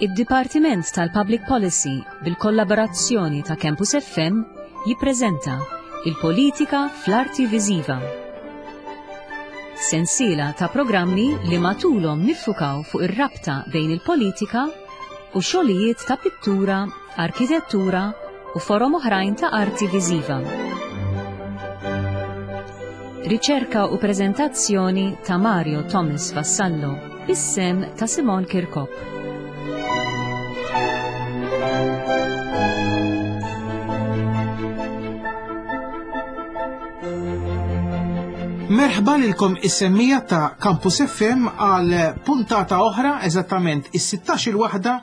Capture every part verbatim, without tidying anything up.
Id-Dipartiment tal-Public Policy bil-kollaborazzjoni ta' Campus F M jippreżenta Il-Politika fl-Arti Viżiva. Sensiela ta' programmi li matulhom niffukaw fuq ir-rabta bejn il-politika u xogħlijiet ta' pittura, arkitettura u forom oħrajn ta' arti viżiva. Riċerka u preżentazzjoni ta' Mario Thomas Vassallo, bis-sehem ta' Simon Kirkop. Merħba lilkom is-semmiegħa ta' Campus F M għal puntata oħra, eżattament is-sittax il-waħda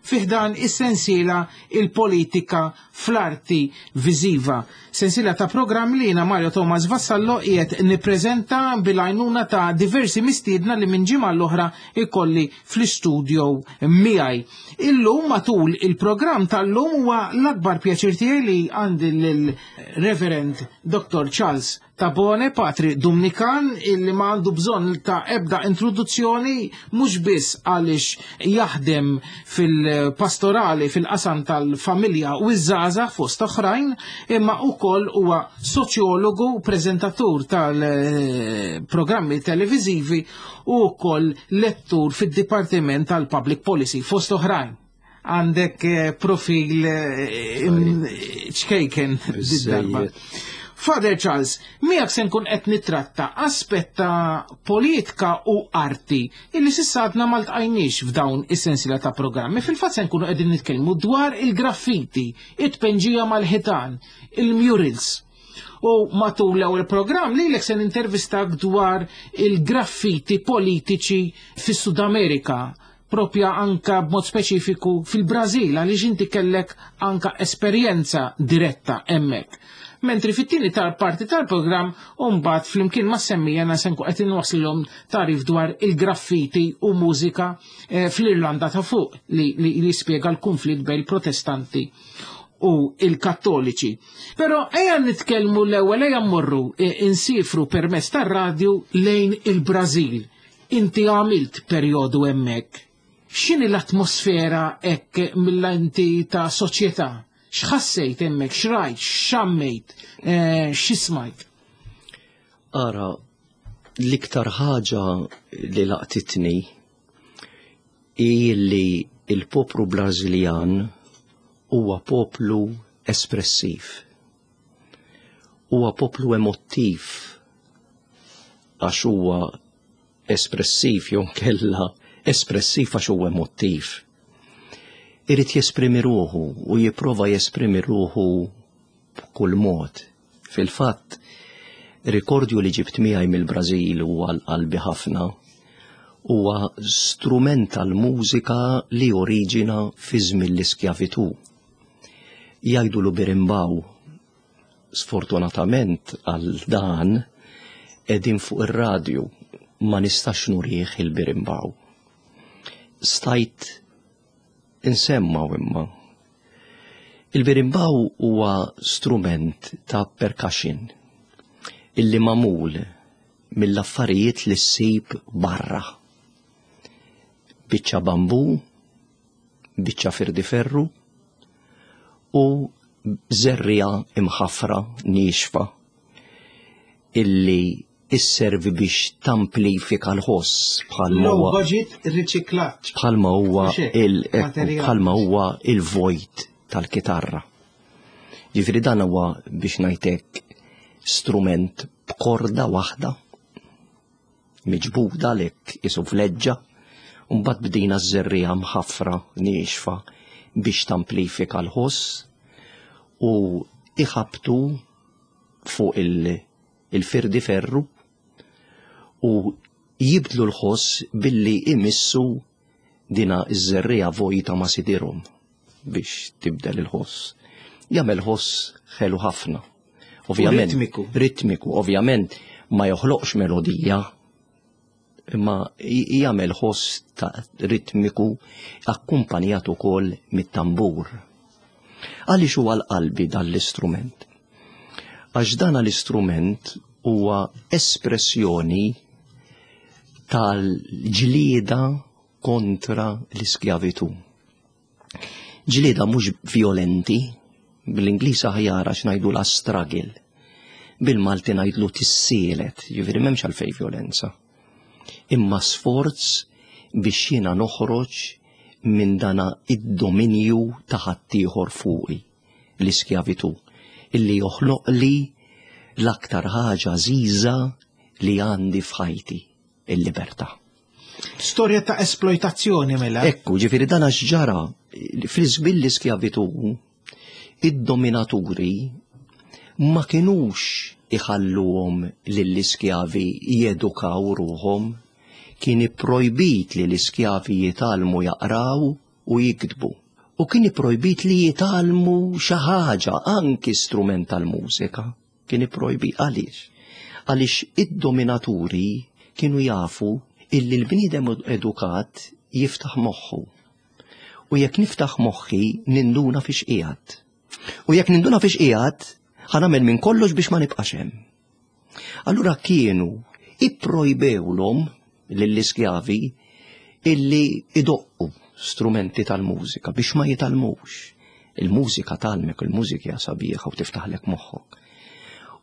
fi ħdan is-sensiela Il-Politika fl-Arti Viżiva. Sensiela ta' programm li jiena, Mario Thomas Vassallo, qiegħed nippreżenta bil-għajnuna ta' diversi mistiedna li minn ġimgħa l-oħra ikolli fl-istudio miegħi. Illum, matul il-programm tal-lum, huwa l-akbar pjaċir tiegħi li għandi lill-Reverend Doctor Charles Tabone, patri Dumnikan, illi ma għandu bżonn ta' ebda introduzzjoni, mhux biss għaliex jaħdem fil-pastorali fil-qasam tal-familja u iż-żgħażagħ fost oħrajn, imma ukoll huwa soċjologu, preżentatur tal-programmi televiżivi u wkoll lettur fid-Dipartiment tal-Public Policy fost oħrajn. Għandek eh, profil eh, ċkejken darba. Father Charles, miegħek se nkun qed nitratta aspett ta' politika u arti illi s'issa għadna ma ltqajniex f'dawn is-sensiela ta' programmi. Fil-fatt se nkunu qegħdin nitkellmu dwar il-graffiti, it-tpenġija mal-ħitan, il-murals. U matul l-ewwel programm lilek se nintervistak dwar il-graffiti politiċi fis-Sud Amerika, propja anka b'mod speċifiku fil-Brażil, għaliex inti kellek anka esperjenza diretta hemmhekk. Mentri fit-tieni tal-parti tal-programm mbagħad flimkien ma' semmiegħa se nkun qed inwaslilhom tagħrif dwar il-graffiti u mużika eh, fl-Irlanda ta' Fuq li, li, li jispjega l-konflitt bejn il-Protestanti u il-Kattoliċi. Però ejja nitkellmu l-ewwel, ejja mmorru eh, insifru permezz tar-radju lejn il-Brażil. Inti għamilt perjodu hemmhekk. X'inhi l-atmosfera hekk mill-lenti ta' soċjetà? X'ħassejt hemmhekk, x'rajt, x'xammejt, eh, x'ismajt? Ara, l-iktar ħaġa li laqtitni hi li il-poplu Brażiljan huwa poplu espressiv. Huwa poplu emottiv għax huwa espressiv jew kella espressiv għax huwa emottiv. Irid jesprimi ruħu u jipprova jesprimi ruħu b'kull mod. Fil-fatt, rikordju li ġibt miegħi mill-Brażil huwa qalbi ħafna, huwa strument tal-mużika li oriġina fi żmien l-iskjavitu. Jgħidulu birimbaw. Sfortunatament għal dan qegħdin fuq ir-radju, ma nistax nurih il-birimbaw. Stajt insemmaw imma. Il-birimbaw huwa strument ta' percussion illi magħmul mill-affarijiet li ssib barra. Biċċa bambu, biċċa firdiferru u żerriegħa imħafra niexfa illi isservi biex tamplifika l-ħoss bħalma Low huwa budget riċiklaġġ. bħalma huwa Mhux hekk, il materjal. bħalma huwa il-vojt tal-kitarra. Ġifieri dan huwa, biex ngħidlek, strument b'korda waħda miġbuda lek isu vleġġa, u mbagħad bdejna ż-żerriegħa mħaffra niexfa biex tamplifika l-ħoss u iħabtu fuq il- il-firdi ferru u jibdlu l-ħoss billi imissu dina iż-żerriegħa vojta ma' sidirhom biex tibdel il-ħoss. Jagħmel ħoss ħelu ħafna. Ovvjament, ritmiku. Ritmiku, ovvjament ma joħloqx melodija, imma j- jagħmel ħoss ta' ritmiku akkumpanjat ukoll mit-tambur. Għaliex huwa l-qalbi dan l-istrument? Għax dan l-istrument huwa espressjoni tal-ġlieda kontra l-iskjavitu. Ġlieda mhux violenti, bil-Ingliż aħjar għax ngħidu la struggle. Bil-Malti ngħidlu tissielet, ġifieri m'hemmx għalfejn violenza. Imma sforz biex jiena noħroġ minn dana id-dominju ta' ħaddieħor fuqi, l-iskjavitu, illi joħloq li l-aktar ħaġa għażiża li għandi f'ħajti, il-libertà. Storja ta' esploitazzjoni mela. Ekku, ġifieri dan għax ġara fil-żmien l-iskjavitu, id-dominaturi ma kinux iħalluhom lill-iskjavi jedukaw ruħhom, kien ipprojbit li l-iskjavi jitgħallmu jaqraw u jiktbu. U kien ipprojbit li jitgħallmu xi ħaġa, anki strument tal-mużika. Kien ipprojbit għaliex? Għaliex id-dominaturi kienu jafu illi l-bniedem edukat jiftaħ moħħu. U jekk niftaħ moħħi ninduna fiex qiegħed. U jekk ninduna fiex qiegħed, ħa nagħmel minn kollox biex ma nibqax hemm. Allura kienu ipprojbewlhom lill-iskjavi illi idoqqu strumenti tal-mużika biex ma jitgħallmux. Il-mużika tgħallmek, il-mużika hija sabiħa u tiftaħlek moħħok.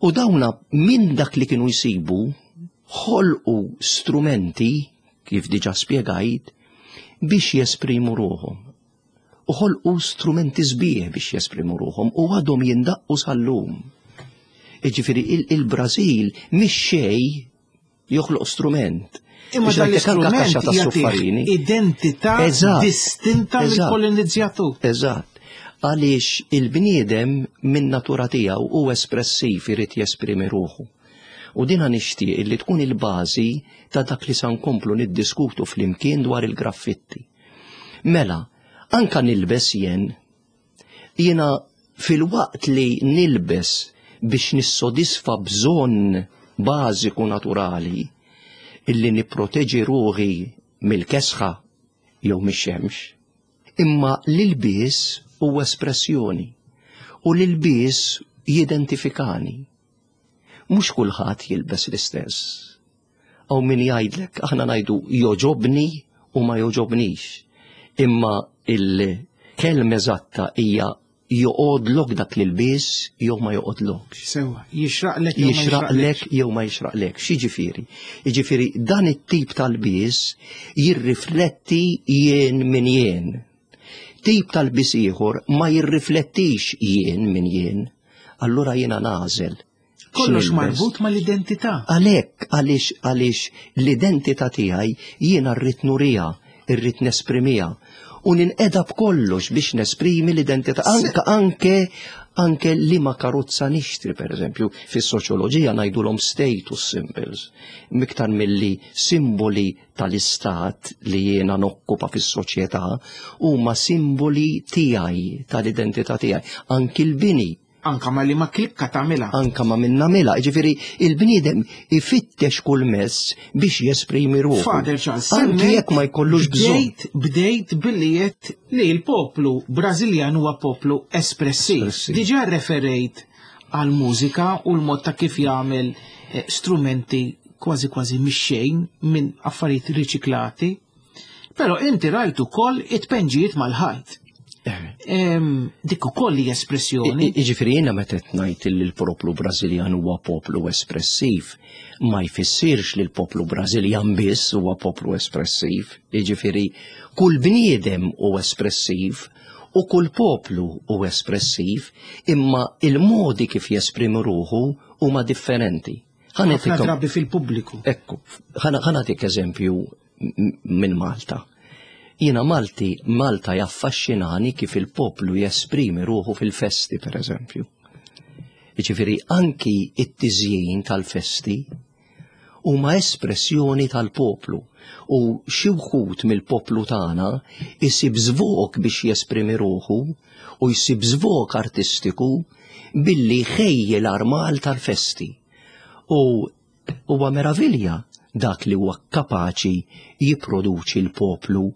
U dawna minn dak li kienu jsibu ħolqu strumenti, kif diġa spjegajt, biex jesprimu ruħhom. U ħolqu strumenti sbieħ biex jesprimu ruħhom u għadhom jindaqqu sal-lum. Iġifieri il-Brażil mhix xejn joħloq strument. Imma Biex dan ngħidlek anke l-istrument kaxxa ta' jagħtih suffarini. identità Eżatt, distinta eżatt. mill-kolonizzatur. Eżatt. Għaliex il-bniedem minn natura tiegħu hu espressiv, irid jesprimi ruħu. U dina nixtieq li tkun il-bażi ta' dak li sa nkomplu niddiskutu flimkien dwar il-graffitti. Mela, anka nilbes jien, jiena fil-waqt li nilbes biex nissodisfa bżonn bażiku naturali illi nipproteġi ruħi mill-kesħa jew mix-xemx, imma l-ilbies huwa espressjoni u l-ilbies jidentifikani. Mhux kulħadd jilbes l-istess. Aw min jgħidlek, aħna ngħidu joġobni u ma joġobnix. Imma il-kelma eżatta hija joqodlok dak l-ilbies jew ma joqodlokx. Sewa, jixraqlek jew ma Jixraqlek jew ma jixraqlek. X'jiġifieri? Jiġifieri dan it-tip tal-bies jirrifletti jien min jien. Tip tal-bies ieħor ma jirriflettix jien min jien. Allura jiena nagħżel. Kollox X'nilbes. marbut mal-identità. Għalhekk, għaliex, għaliex l-identità tiegħi jiena rrid nuriha, irrid nesprimiha. U ninqeda b'kollox biex nesprimi l-identità. Anke, anke, anke li ma karozza nixtri, per eżempju, fis-soċjoloġija ngħidulhom status symbols. Miktar milli simboli tal-istat li jiena nokkupa fis-soċjetà huma simboli tiegħi, tal-identità tiegħi. Anki l-bini. Anka ma li ma klikka tagħmilha. Anka ma minna mela, ġifieri il-bniedem ifittex kull mezz biex jesprimi ruħu. Father Charles, Anki semmejt jekk ma jkollux bżonn. Bdejt, bdejt billi jett li l-poplu Brażiljan huwa poplu espressiv. Espressiv. Diġà referejt għal mużika u l-mod ta' kif jagħmel, eh, strumenti kważi kważi mix-xejn minn affarijiet riċiklati. Però inti rajt ukoll it-penġijiet mal-ħajt. Em, dik ukoll hija espressjoni. I- i- Jiġifieri jiena meta qed ngħid li l-poplu Brażiljan huwa poplu espressiv, ma jfissirx li l-poplu Brażiljan biss huwa poplu espressiv. Jiġifieri kull bniedem hu espressiv u kull poplu hu espressiv, imma il-modi kif jesprimi ruħu huma differenti. Ħa Ħafna nagħtikom- drabi fil-pubbliku. Ekku, ħa nagħtik eżempju m-, minn Malta. Jiena Malti, Malta jaffaxxinani kif il-poplu jesprimi ruħu fil-festi, per eżempju. Jiġifieri anki it-tiżjin tal-festi huma espressjoni tal-poplu u xi wħud mill-poplu tagħna isib żvok biex jesprimi ruħu u jsib żvok artistiku billi jħejji l-armal tal-festi. U huwa meravilja dak li huwa kapaċi jipproduċi l-poplu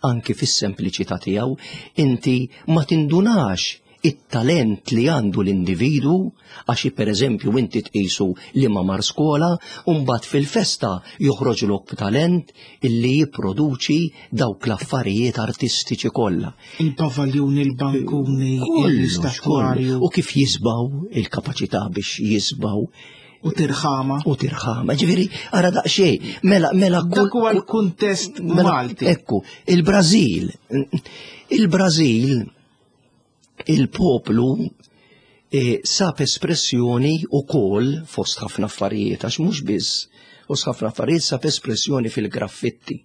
anki fis-sempliċità tiegħu, inti ma tindunax it-talent li għandu l-individu, għax per eżempju inti tqisu li ma mar skola, u mbagħad fil-festa joħroġlok b'talent illi jipproduċi dawk l-affarijiet artistiċi kollha. Il-pavaljuni, il-bankuni, Kollox, l-istatwarju kollu. U kif jisbaw, il-kapaċità biex jisbaw u tirħama. u tirħama. Ġifieri, ara daqsxejn, mela, mela Dak huwa l-kuntest mela, Malti. Ekku, il-Brażil, il-Brażil, il-poplu eh, sab espressjoni u kol fost ħafna affarijiet, għax mhux biss, fost ħafna affarijiet sab espressjoni fil-graffitti.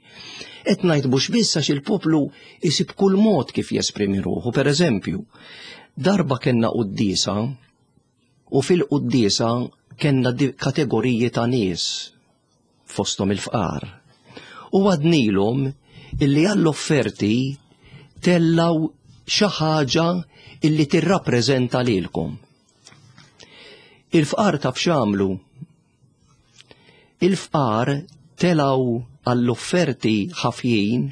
Et ngħid mhux biss għax il-poplu isib kull mod kif jesprimi ruħu. Per eżempju, darba kellna quddiesa u fil-quddiesa kellna di- kategoriji ta' nies fosthom il-fqar. U għednielhom illi għall-offerti tellaw xi ħaġa illi tirrappreżenta lilkom. Il-fqar taf x'għamlu? Il-fqar telaw għall-offerti ħafjin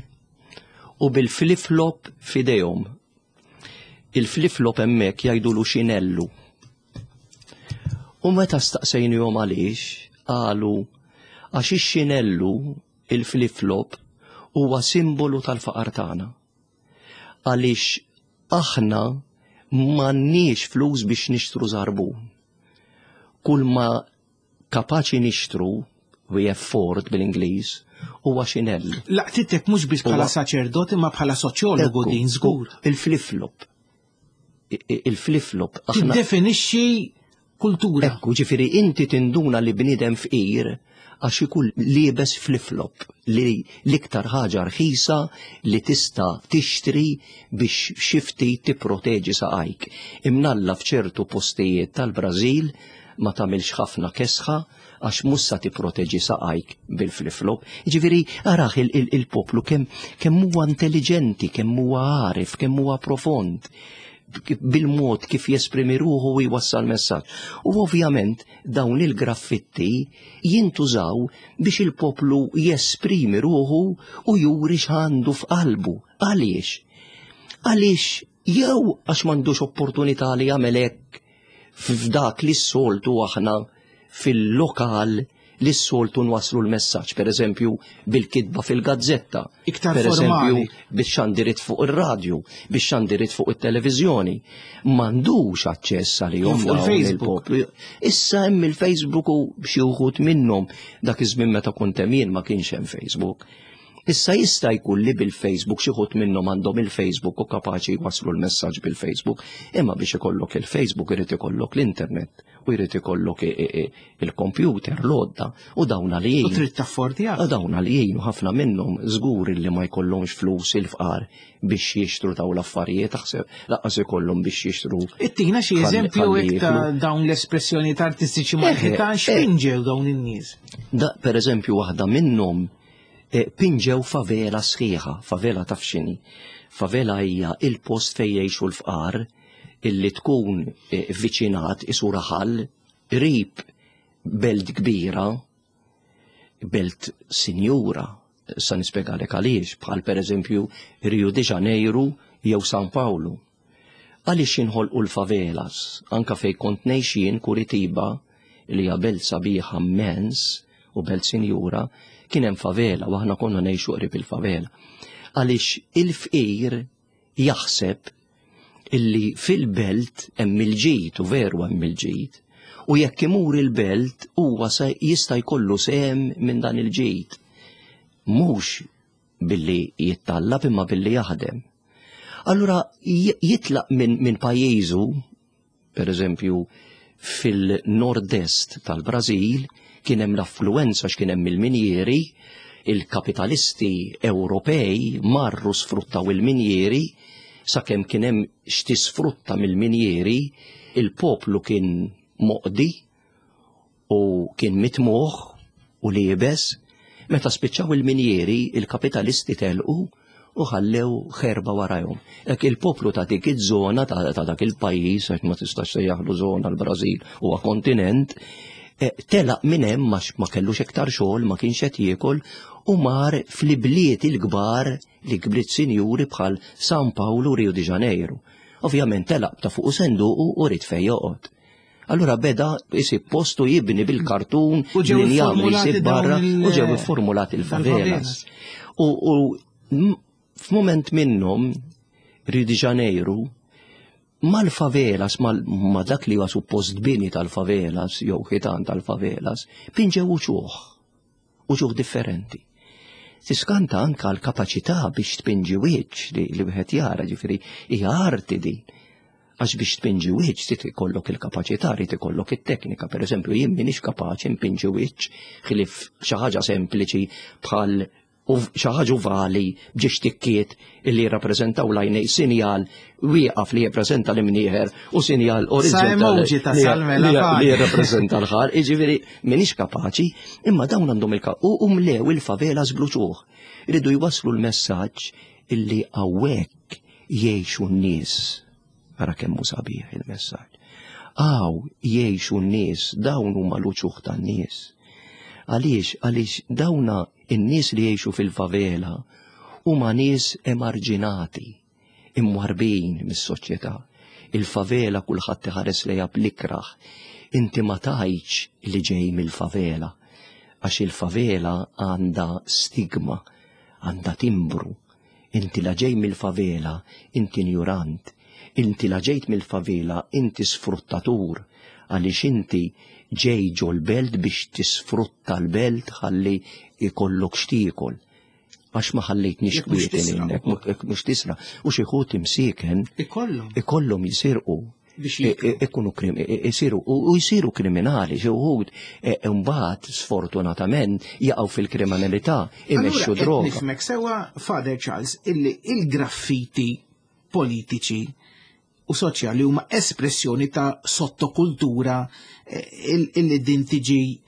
u bil-flip-flop f'idejhom. Il-flip-flop hemmhekk jgħidulu xinellu. U meta staqsejnihom għaliex, qalu għax ix-xinellu il-flip-flop huwa simbolu tal-faqar tagħna. Għaliex aħna m'għandniex flus biex nixtru żarbun. Kull ma kapaċi nixtru, we afford bil-Ingliż, huwa xinellu. Laqtitek mhux biss bħala Huwa- saċerdot imma bħala soċjologu Ekku, din żgur. Il-flip-flop. I- i- Il-flip-flop. Aħna Tiddefinixxi kultura. Ekku, ġifieri inti tinduna li bniedem fqir għax ikun liebes flip-flop li l-iktar ħaġa rħisa li tista' tixtri biex xi ftit tipproteġi saqajk. Imnalla f'ċertu postijiet tal-Brażil ma tagħmilx ħafna kesħa għax mhux sa tipproteġi saqajk bil-flip-flop. Ġifieri araħ il-poplu kemm kemm huwa intelligenti, kemm huwa għarif, kemm huwa profond bil-mod kif jesprimi ruħu u jwassal messaġġ. U ovvjament dawn il-graffitti jintużaw biex il-poplu jesprimi ruħu u juri x'għandu f'qalbu. Għaliex? Għaliex jew għax m'għandux opportunità li jagħmel hekk f'dak li s-soltu aħna fil-lokal li s-soltu nwaslu l-messaġġ, per eżempju bil-kitba fil-gazzetta, Iktar per eżempju formali. biex xandirit fuq ir-radju, biex xandirit fuq it-televiżjoni. M'għandux aċċess għalihom Fuq dawn il-Facebook. il-poplu. Issa hemm il-Facebook u xi wħud minnhom dak iż-żmien meta kont hemm jien ma kienx hemm Facebook. Issa jista' jkun li bil-Facebook xi wħud minnhom għandhom il-Facebook u kapaċi jwaslu l-messaġġ bil-Facebook, imma biex ikollok il-Facebook irid ikollok l-internet u jrid ikollok i- i- i- il-computer, l-għodda u dawn U għalijin. trid taffordja. U dawn għalijin u ħafna minnhom żgur li ma jkollhomx flus il-fqar biex jixtru dawn l-affarijiet, taħseb lanqas ikollhom biex jixtru. Ittina xi Ħalli- eżempju ħalli hekk ta' jiklu. dawn l-espressjonijiet artistiċi Eh, mal-ħitan eh. x'pinġew dawn in-nies. Da, per eżempju, waħda minnhom eh, pinġew favela sħiħa, favela taf x'inhi. Favela hija il-post fejn jgħixu l-fqar illi tkun eh, viċinat isu raħal qrib belt kbira, belt sinjura, sa nispjegalek għaliex, bħal per eżempju Rio de Janeiro jew San Paolo. Għaliex jinħolqu l-favelas, anka fej kont ngħix jien Curitiba, li hija belt sabiħa immens u belt sinjura, kien hemm favela u aħna konna ngħixu qrib il-favela. Għaliex il-fqir jaħseb illi fil-belt hemm il-ġid u veru hemm il-ġid. U jekk imur il-belt huwa se jista' jkollu sehem minn dan il-ġid. Mhux billi jittallab imma billi jaħdem. Allura j- jitlaq minn min pajjiżu, per eżempju, fil-nord-est tal-Brażil, kien hemm l-affluenza x'kien hemm il-minjieri, il-kapitalisti Ewropej marru sfruttaw il-minjieri, sakemm kien hemm x'tisfrutta mill-minjieri, il-poplu kien moqdi u kien mitmuħ u liebes, meta spiċċaw il-minjieri, il-kapitalisti telqu u ħallew ħerba warajhom. Hekk il-poplu ta' dik iż-żona ta' ta' dak il-pajjiż, għax ma tistax sejjaħlu żona l-Brażil huwa kontinent, eh, telaq minn hemm għax ma kellux iktar xogħol, ma kienx qed jiekol u mar fl-ibliet il-kbar li bliet sinjuri bħal San Paolo u Rio de Janeiro. Ovvjament telaq ta' fuq senduq u ried fejn joqgħod. Allura beda jsib postu jibni bil-kartun, U ġew l-injam li formulati jsib barra, dawn il- u ġew formulati il-favelas. U, u m- f'moment minnhom, Rio de Janeiro, mal-favelas, mal, ma dak li huwa suppost bini tal-favelas, jew ħitan tal-favelas, pinġew uċuħ, uċuħ differenti. Tiskanta anka l-kapaċità biex tpinġi wiċċ li, li wieħed jara, ġifieri hija arti din. Għax biex tpinġi wiċċ trid ikollok il-kapaċità, trid ikollok it-teknika. Per eżempju, jien m'iniex kapaċi npinġi wiċċ ħlief xi ħaġa sempliċi bħal u xi ħaġa ovali b'ġiex tikkiet illi jirrappreżentaw l-għajnej sinjal wieqaf li jirrappreżenta l-imnieħer u sinjal orizzontali emoji ta' li- Salme li- la li jirrappreżenta l-ħar, jiġifieri m'iniex kapaċi, imma dawn għandhom il u u mlew il-favelas bl-uċuħ. Iridu jwasslu l-messaġġ illi hawnhekk jgħixu n-nies. Ara kemm hu sabiħ il-messaġġ. Hawn jgħixu n-nies, dawn huma l-uċuħ tan-nies. Għaliex, għaliex dawna in-nies li jgħixu fil-favela huma nies emarġinati, imwarbin mis-soċjetà. Il-favela kulħadd iħares lejha bl-ikrah. Inti ma tgħidx li ġej mill-favela, għax il-favela għandha stigma, għandha timbru. Inti la ġej mill-favela, inti injurant. Inti la ġejt mill-favela, inti sfruttatur, għaliex inti ġej ġol-belt biex tisfrutta l-belt ħalli ikollok x'tiekol. Għax ma ħallejtniex Jekk mhux kwieti tisra lilek, ukoll. jekk mhux tisra. U xi ħut imsieken Ikollhom ikollhom jisirqu biex i- jiklu. i- ikunu krim- i- isiru u u jsiru kriminali, xi wħud e, mbagħad sfortunatament jaqgħu fil-kriminalità, imexxu Allura, qed droga. Nifhmek sewwa, Father Charles, illi il-graffiti politiċi u soċjali huma espressjoni ta' sottokultura eh, il- illi din tiġi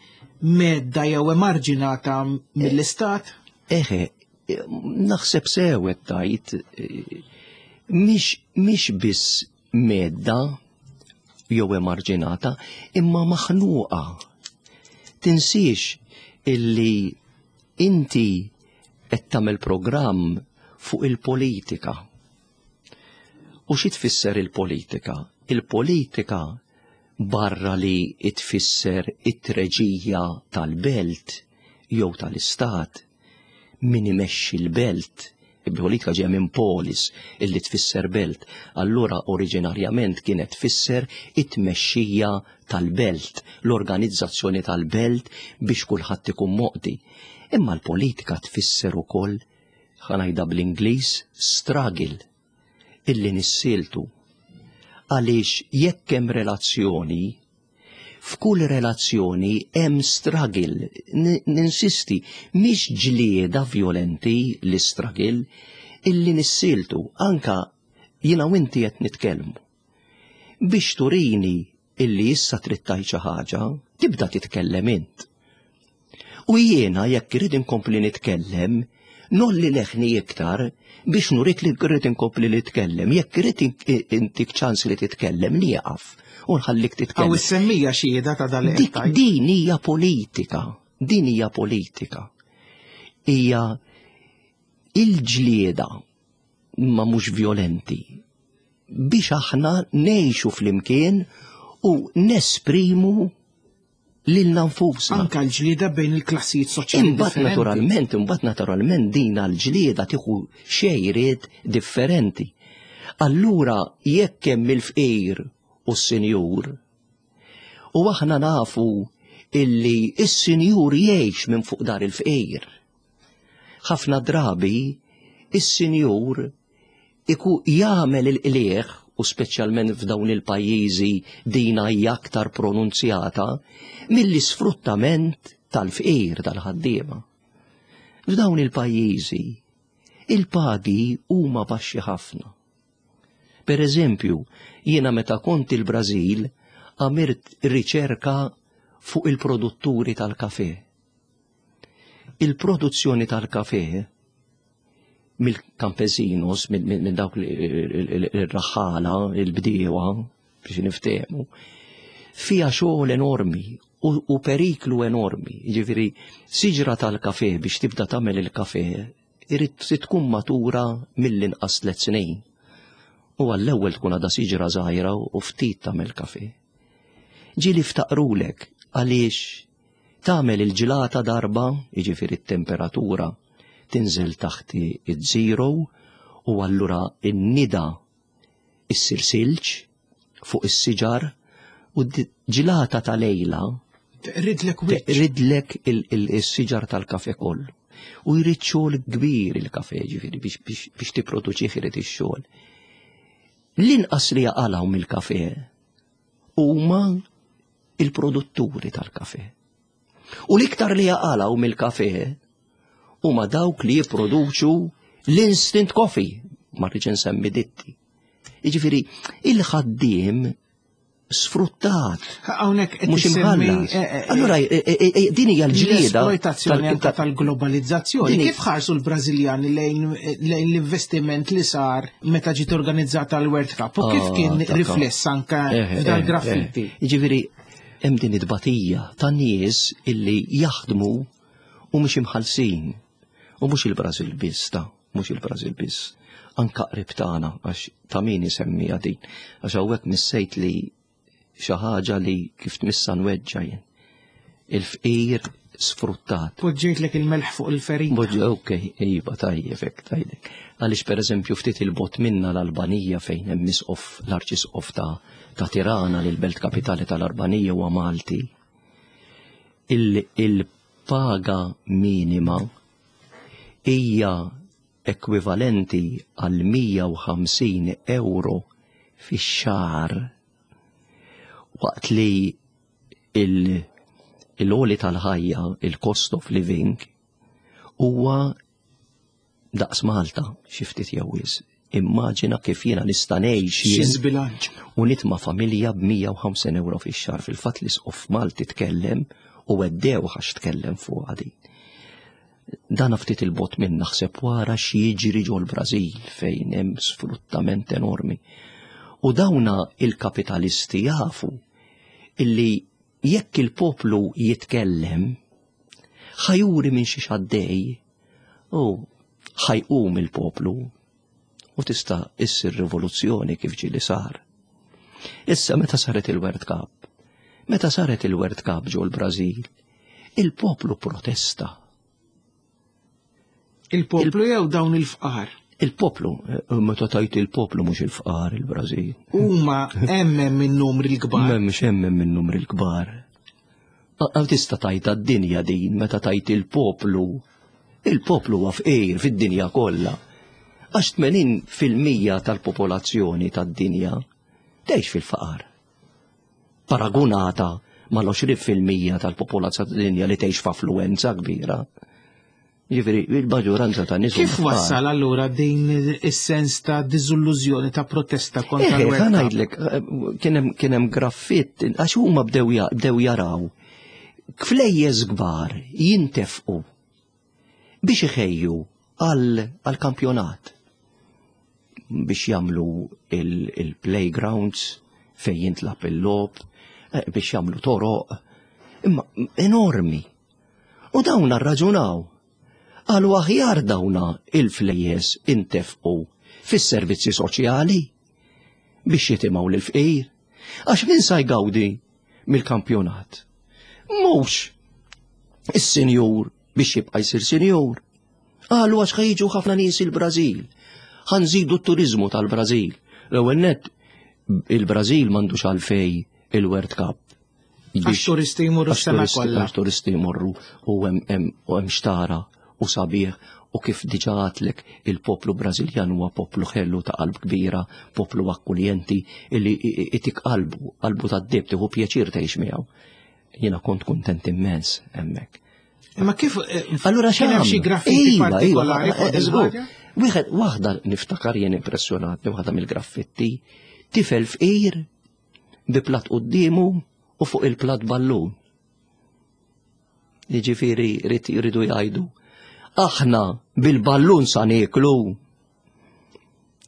medda jew emarġinata mill-istat. Eħe, eh, naħseb sew qed tgħid, eh, mhix mhix biss medda jew emarġinata, imma maħnuqa. Tinsiex illi inti qed tagħmel programm fuq il-politika. U xi tfisser il-politika? Il-politika barra li tfisser it-treġija tal-belt jew tal-istat, min imexxi l-belt, il-politika ġeja minn polis illi tfisser belt, allura oriġinarjament kienet tfisser it-tmexxija tal-belt, l-organizzazzjoni tal-belt biex kulħadd ikun moqdi. Imma l-politika tfisser ukoll, ħa ngħidha bl-Ingliż, struggle, illi nissieltu. Għaliex jekk hemm relazzjoni, f'kull relazzjoni hemm struggle, N- ninsisti, mhix ġlieda violenti l-struggle, illi nissieltu, anka jiena u inti qed nitkellmu. Biex turini illi issa trid tgħid xi ħaġa, tibda titkellem int. U jiena jekk irrid inkompli nitkellem, ngħolli leħni iktar biex nurik li rrid inkompli nitkellem. Jekk irrid intik ċans li titkellem, nieqaf u nħallik titkellem. Aw is-semmija xhieda ta' dal Dik din hija politika, din hija politika. Hija il-ġlieda ma mhux violenti biex aħna ngħixu flimkien u nesprimu lilna nfusna. Anka l-ġlieda bejn il-klassijiet soċjali Imbagħad differenti. naturalment, imbagħad naturalment din għal-ġlieda tieħu xejriet differenti. Allura jekk hemm il-fqir u s-sinjur, u aħna nafu illi s-sinjur jgħix minn fuq dar il-fqir. Ħafna drabi is-sinjur iku jagħmel il-qlieħ u speċjalment f'dawn il-pajjiżi dina hija aktar pronunzjata mill-isfruttament tal-fqir tal-ħaddiema. F'dawn il-pajjiżi il-pagi huma baxxi ħafna. Per eżempju, jiena meta kont il-Brażil għamilt riċerka fuq il-produtturi tal-kafe. Il-produzzjoni tal-kafe mill-campesinos, minn dawk il-raħħala, il-bdiewa, biex niftehmu, fija xogħol enormi u, u periklu enormi. Ġifieri, siġra tal-kafe biex tibda tagħmel il-kafe, irid tkun matura mill-inqas tliet snin. U għall-ewwel tkun għadha siġra żgħira u ftit tagħmel kafe. Ġieli ftaqrulek għaliex tagħmel il-ġilata darba, jiġifieri t-temperatura tinżel taħt iż-zero u allura n-nida issir silġ fuq is-siġar u ġilata ta' lejla Teqridlek wiċċ. Teqridlek il-siġar tal-kafe kollu. U jrid xogħol kbir il-kafe, ġifieri biex, biex, biex tipproduċih irid ix-xogħol. L-inqas li jaqalgħu mill-kafe huma il-produtturi tal-kafe. U l-iktar li jaqalgħu mill-kafe huma dawk li jipproduċu l-instant coffee, ma rridx insemmi ditti. Jiġifieri il-ħaddiem sfruttat. Hawnhekk qed Mhux issemmi, imħallas. eh, eh, Allura eh, eh, eh, din hija l-ġlieda l-esploitazzjoni tal- anke tal-globalizzazzjoni. Din- Kif ħarsu l-Brażiljani lejn lejn l-investiment li sar meta ġiet organizzata l-World Cup u kif Ah, kien ta' rifless anke Eh, f'dal eh, graffiti? eh. Jiġifieri hemm din it-tbatija ta' nies illi jaħdmu u mhux imħallsin. U mhux il-Brażil biss ta' mhux il-Brażil biss. Anka qrib tagħna għax ta' min isemmiha din. Għax hawnhekk missejt li xi ħaġa li kif tmissa nweġġa' jien. Il-fqir sfruttat. Poġġejtlek il-melħ fuq il-ferita. Boġġa, ok, iva, tajjeb, hekk, tajjeb. Għaliex per eżempju ftit il-bogħod minna l-Albanija fejn hemm isqof, l-arċisqof ta' ta' Tirana li l-belt kapitali tal-Albanija huwa Malti. Il- Il-paga minima hija ekwivalenti għal mija u ħamsin euro fix-xahar waqt li il- il-għoli tal-ħajja, il-cost of living, huwa daqs Malta, xi ftit jew wisq. Immaġina kif jiena nista' ngħix Xi jien żbilanċ. u nitma' familja b'mija u ħamsin euro fix-xahar. Fil-fatt l-isqof Malti tkellem u weddew għax tkellem fuq din. Dan ftit il-bogħod minn naħseb wara x'jiġri ġol Brażil fejn hemm sfruttament enormi. U dawna il-kapitalisti jafu illi jekk il-poplu jitkellem ħa juri minn xi għaddej u ħa jqum il-poplu u tista' issir rivoluzzjoni kif ġieli sar. Issa meta saret il-World Cup, meta saret il-World Cup ġol Brażil, il-poplu protesta. Il-poplu jew dawn il-fqar? Il-poplu, eh, meta tajt il-poplu mhux il-fqar il-Brażil. Huma hemm hemm in-numri l-kbar. M'hemmx hemm minn numri l-kbar. Għaw tista' tajt d-dinja din meta tajt il-poplu. Il-poplu huwa fqir fid-dinja kollha. Għax tmenin fil-mija tal-popolazzjoni tad-dinja tgħix fil-faqar. Paragunata mal-għoxrin fil-mija tal-popolazzjoni tad-dinja li tgħix f'affluwenza kbira. Ġifieri, il-maġġoranza ta' nies Kif huma fqar. wassal allura din is-sens ta' diżillużjoni, ta' protesta kontra Eh, l-World ħa Cup? ngħidlek, eh, kien hemm kien hemm graffitt, għax huma bdew ja- bdew jaraw flejjes kbar jintefqu biex iħejju għal għal kampjonat biex jagħmlu il-playgrounds fejn jintlagħab il-logħob, eh, biex jagħmlu toroq, imma enormi. U dawn arraġunaw. Qalu aħjar dawna il-flejjes intefqu fis-servizzi soċjali biex jitimgħu l-fqir. Għax min sa jgawdi mill-kampjonat? Mhux is-sinjur biex jibqa' jsir sinjur. Qalu għax ħa jiġu ħafna nies il-Brażil. Ħa nżidu t-turizmu tal-Brażil. L-ewwel nett il-Brażil m'għandux għalfej il-World Cup. Għax turisti jmurru Għax s-sena turisti- kollha. Għax turisti jmorru u hemm hemm u hemm xtara u sabiħ u kif diġà għedtlek il-poplu Brażiljan huwa poplu ħelu ta' qalb kbira, poplu akkuljenti illi itik qalbu, qalbu tad-deheb, tieħu pjaċir tgħix miegħu. Jiena kont kontent immens hemmhekk. Imma kif eh, Allura kien hemm xi x'għamlu? graffiti Iva, iva, partikolari fuq eh, din żgur. il-ħaġa? Wieħed waħda niftakar jien impressjonatni waħda mill-graffitti, tifel fqir bi plat quddiemu u fuq il-plat ballun. Jiġifieri rid jridu jgħidu aħna bil-ballun sa nieklu.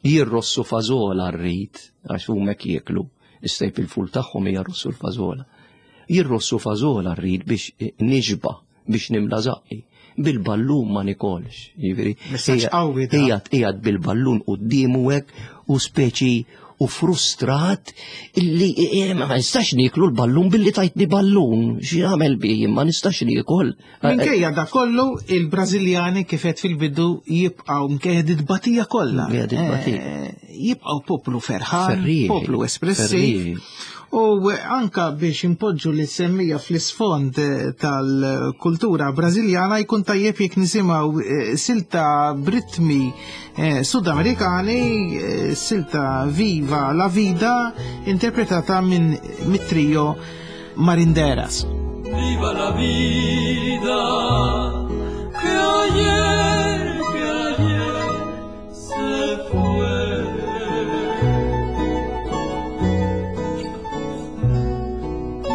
Jirrossu fażola rrid, għax huma jieklu, is-staple food tagħhom hija rossu l-fażola. Jirrossu fażola rrid biex nixba, biex nimla żaqqi. Bil-ballun ma nikolx. Jiġifieri Messaġġ qawwi da. Qiegħed qiegħed bil-ballun quddiemu hekk u speċi u frustrat illi eh, ma nistax niklu l-ballun billi tajtni ballun. X'jagħmel bi ma nistax nikol. Minkejja da kollu il-Brażiljani kif qed fil-bidu jibqgħu minkejja dit-tbatija kollha. Minkejja dit-tbatija. Eh, Jibqgħu poplu ferħan, Ferrieħi, poplu espressiv. ferrieħi. U anka biex impoġġu li semmija fl-isfond eh, tal-kultura brażiljana jkun tajjeb jekk nisimgħu eh, silta b'ritmi eh, sudamerikani, eh, silta Viva la Vida, interpretata minn mit-trio Marinderas. Viva la vida que ayer, que ayer se fue.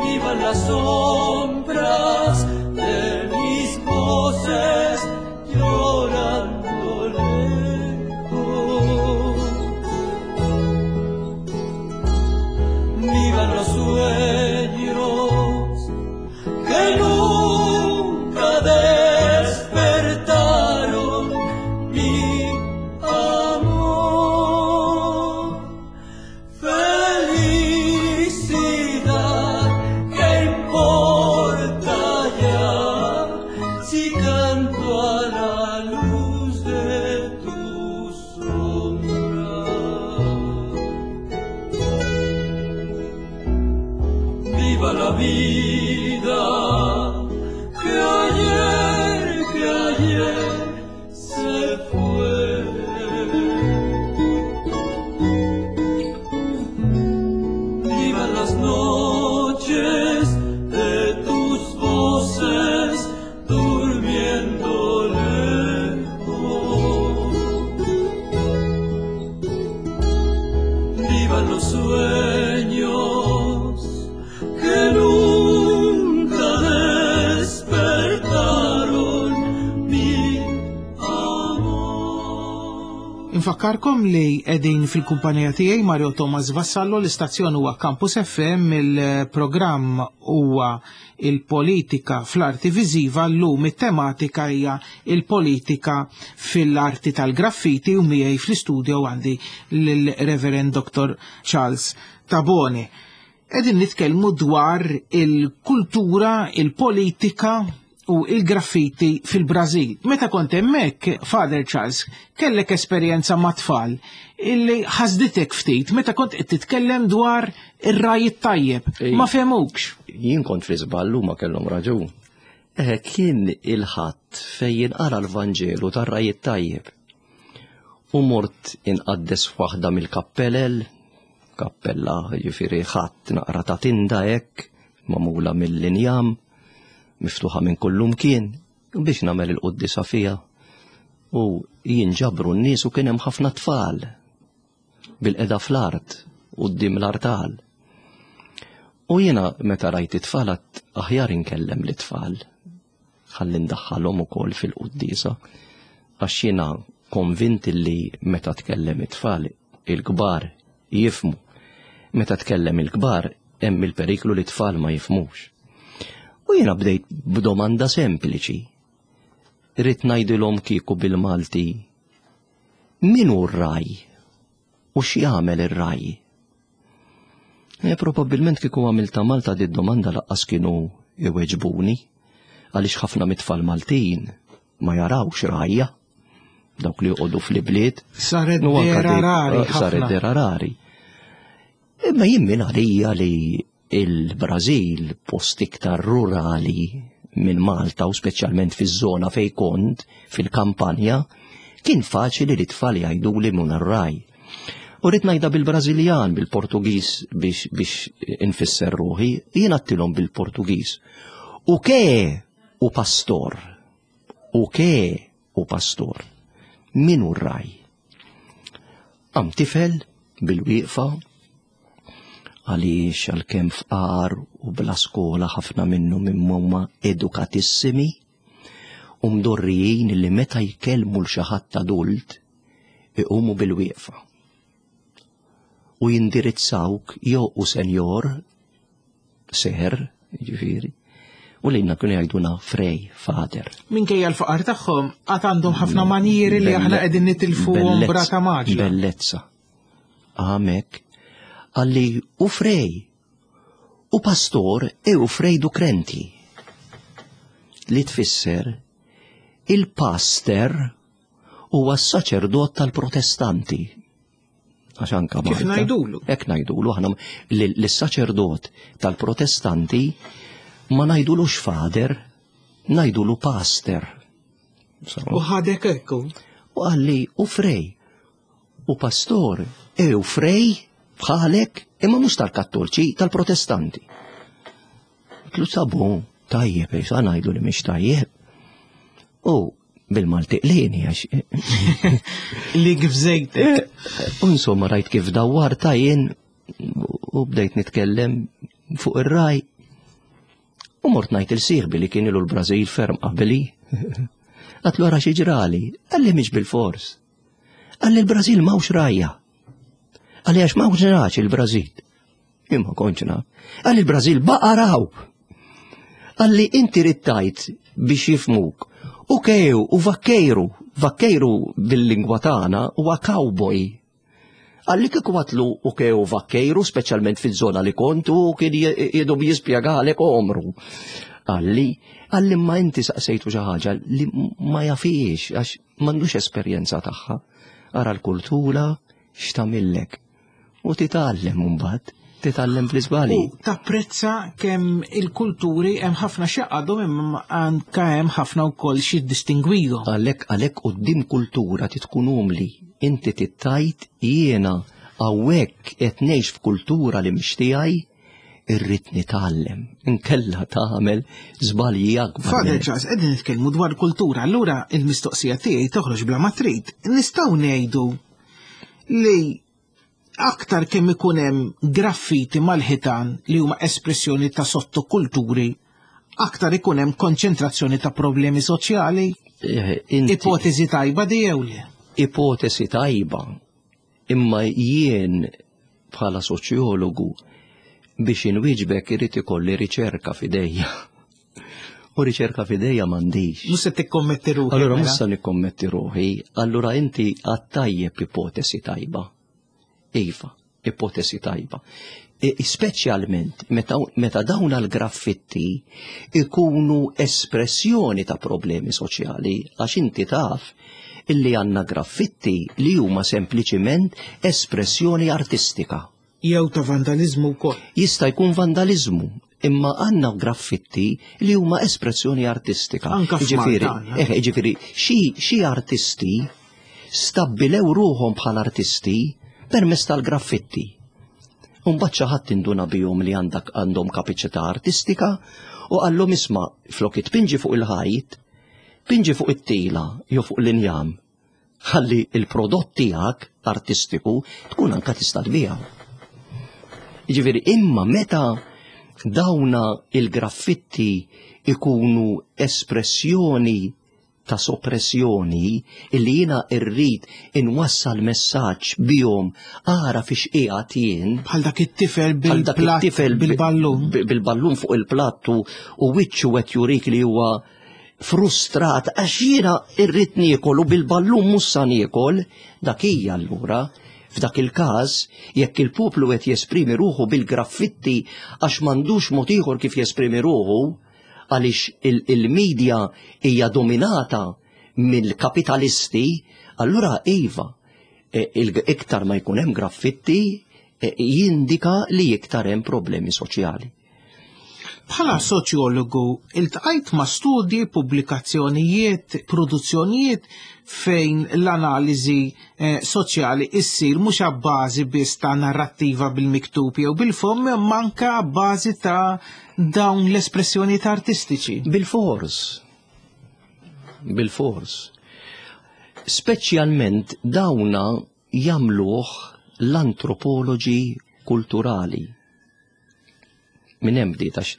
Vivan las sombras de mis voces llorando lejos. Vivan los sueños que nunca despertaron mi amor. Felicidad, ¿qué importa ya si canto a la luz de tu sombra? Viva la vida que ayer, que ayer se fue. Vivan las noches de tus voces durmiendo lejos. Vivan los sueños que nunca despertaron mi amor. Infakkarkom li qegħdin fil-kumpanija tiegħi Mario Thomas Vassallo, l-istazzjon huwa Campus F M, il-programm huwa il-politika fl-arti viżiva, llum it-tematika hija il-politika fil-arti tal-graffiti u miegħi fl-istudio għandi lill-Reverend Doctor Charles Tabone. Qegħdin nitkellmu dwar il-kultura, il-politika u il-graffiti fil-Brażil. Meta kont hemmhekk, Father Charles, kellek esperjenza ma' tfal illi ħasditek ftit meta kont qed titkellem dwar ir-raj it-tajjeb. Ej. Ma fehmukx. Jien kont fi żballu ma kellhom raġun. Eh, kien il-ħadd fejn jinqara l-Vanġelu tar-raj it-tajjeb. U mort inqaddes f'waħda mill-kappellel, kappella jiġifieri ħadd naqra ta' tinda hekk, magħmula mill-injam, miftuħa minn kullum kien, biex nagħmel il-quddiesa fiha. U jinġabru n-nies u kien hemm ħafna tfal bil-qeda fl-art quddiem l-artal. U jiena meta rajt it-tfal għedt aħjar inkellem l-tfal, ħalli ndaħħalhom ukoll fil-quddiesa, għax jiena konvint li meta tkellem it-tfal il-kbar jifmu. Meta tkellem il-kbar hemm il-periklu li t-tfal ma jifmux. U jiena bdejt b'domanda sempliċi. Rrid ngħidilhom kieku bil-Malti, min hu r-raj u x'jagħmel ir-raj? E, probabbilment kieku għamilta Malta di domanda laqqas kienu iweġbuni, għaliex ħafna mit-tfal Maltin ma jarawx rajja, dawk li joqogħdu fl-ibliet. Saret U anka dera di- rari Saret ħafna. dera rari. Imma jien min għalija li il-Brażil post iktar rurali minn Malta u speċjalment fiż-żona fejn kont, fil-kampanja, kien faċli li tfal jgħiduli mun ar-raj. U rrid ngħidha bil-Brażiljan, bil-Portugiż biex, biex infisser ruħi, jien għattilhom bil-Portugiż. U ke u pastor? U ke u pastor? Min hu r-raj? Għam tifel bil-wieqfa, għaliex għalkemm fqar u bla skola ħafna minnhom huma edukatissimi u mdorrijin li meta jkellmu l xi ħadd adult iqumu bil-wieqfa. U jindirizzawk jew u senjor, ser, jiġifieri, u U lilna kienu jgħiduna Frei, Father. Minkejja l-faqar tagħhom għad għandhom ħafna manieri li aħna qegħdin nitilfuhom b'rata mgħaġġla. Bellezza. Għamek, qalli u Frei, u pastor e u Frei do Crente. Li tfisser il-pastor huwa s-saċerdot tal-protestanti. Għax anka Kif Malta. ngħidulu? Hekk ngħidulu aħna lis-saċerdot tal-protestanti ma ngħidulux father, ngħidulu pastor. U ħadek ekku. U qalli u Frei, u pastor, e u Frei bħalek, imma mhux tal-kattolċi, tal-protestanti. Għedtlu sabu, tajjeb, sa ngħidu li mhix tajjeb. U bil-Malti qlini għax. Li kif żejtek. U insomma rajt kif dawwarta jien u bdejt nitkellem fuq ir-raj. U mort ngħid lil sieħbi li kien ilu l-Brażil ferm qabli. Għedtlu ara xi ġrali, qalli mhix bil-fors. Qalli l-Brażil m'hawnx rgħajja. Qalli għax m'hawnx nagħaġ il-Brażil. Imma kontx naf. Qalli l-Brażil baqar hawn. Qalli inti rittajt biex jifhmuk. U kew, u vaqueiro, vaqueiro bil-lingwa tagħna huwa cowboy. Qalli kieku għedtlu u kew vaqueiro, speċjalment fil-żona li kontu, kien jidum jispjegalek omru. Qalli, qalli ma inti saqsejtu xi ħaġa li ma jafix, għax m'għandux esperjenza tagħha. Ara l-kultura x'tagħmillek. U titgħallem mbagħad, titgħallem fl-iżbali. U tapprezza kemm il-kulturi hemm ħafna x'jgħaqqadhom imma anka hemm ħafna wkoll xi distingwihom. Għalhekk għalhekk quddiem kultura titkun umli, inti tittajt jiena hawnhekk qed ngħix f'kultura li mhix tiegħi irrid nitgħallem. Inkella tagħmel żbalji akbar. Father minn- Charles, qegħdin nitkellmu dwar kultura, allura il-mistoqsija tiegħi toħroġ bla ma trid. Nistgħu ngħidu li aktar kemm ikun hemm graffiti mal-ħitan li huma espressjoni ta' sottokulturi, aktar ikun hemm konċentrazzjoni ta' problemi soċjali. Eh, inti- Ipotezi tajba di jew le? ipotesi tajba, imma jien bħala soċjologu biex inwieġbek irid ikolli riċerka f'idejja. U riċerka f'idejja m'għandix. Mhux se tikkommetti ruħek. Allura mela? mhux se nikkommetti ruħi, allura inti għedt tajjeb ipotesi tajba. Iva, ipotesi tajba. E, speċjalment meta, meta dawn l-graffitti ikunu espressjoni ta' problemi soċjali, għax inti taf illi għandna graffitti li huma sempliċiment espressjoni artistika. Jew ta' vandalizmu wkoll. Jista' jkun vandalizmu, imma għandna graffitti li huma espressjoni artistika. Anka f'Malta Jiġifieri, għandna. eh, jiġifieri, xi xi artisti stabbilew ruħhom bħala artisti permezz tal-graffitti. Umbagħad xi ħadd induna bihom li għandak għandhom kapaċità artistika u qallhom isma' flok tpinġi fuq il-ħajt, pinġi fuq it-tila jew fuq l-injam. Ħalli il-prodott tiegħek artistiku tkun anka tista' tbiegħu. Jiġifieri imma meta dawna il-graffitti ikunu espressjoni ta' soppressjoni illi jiena irrid inwassal messaġġ bihom ara fiex qiegħed jien Bħal dak it-tifel bħal dak bil-platt it-tifel bi- bil-ballun. bi- bil-ballun fuq il-plattu u wiċċu qed jurik li huwa frustrat għax jiena irrid niekol u bil-ballun mhux sa niekol, dak hija allura f'dak il-każ jekk il-poplu qed jesprimi ruħu bil-graffitti għax m'għandux mod ieħor kif jesprimi ruħu għaliex il- il-medja hija dominata mill-kapitalisti, allura iva, e, il- iktar ma jkun hemm graffitti e, jindika li iktar hemm problemi soċjali. Bħala soċjologu, iltqajt ma' studji, pubblikazzjonijiet, produzzjonijiet fejn l-analiżi eh, soċjali issir mhux abbażi biss ta' narrattiva bil-miktub jew bil-fomm, imma anke abbażi ta' dawn l-espressjonijiet artistiċi. Bil-fors. Bil-fors. Speċjalment dawna jagħmluh l-antropoloġi kulturali. Minn hemm bdiet għax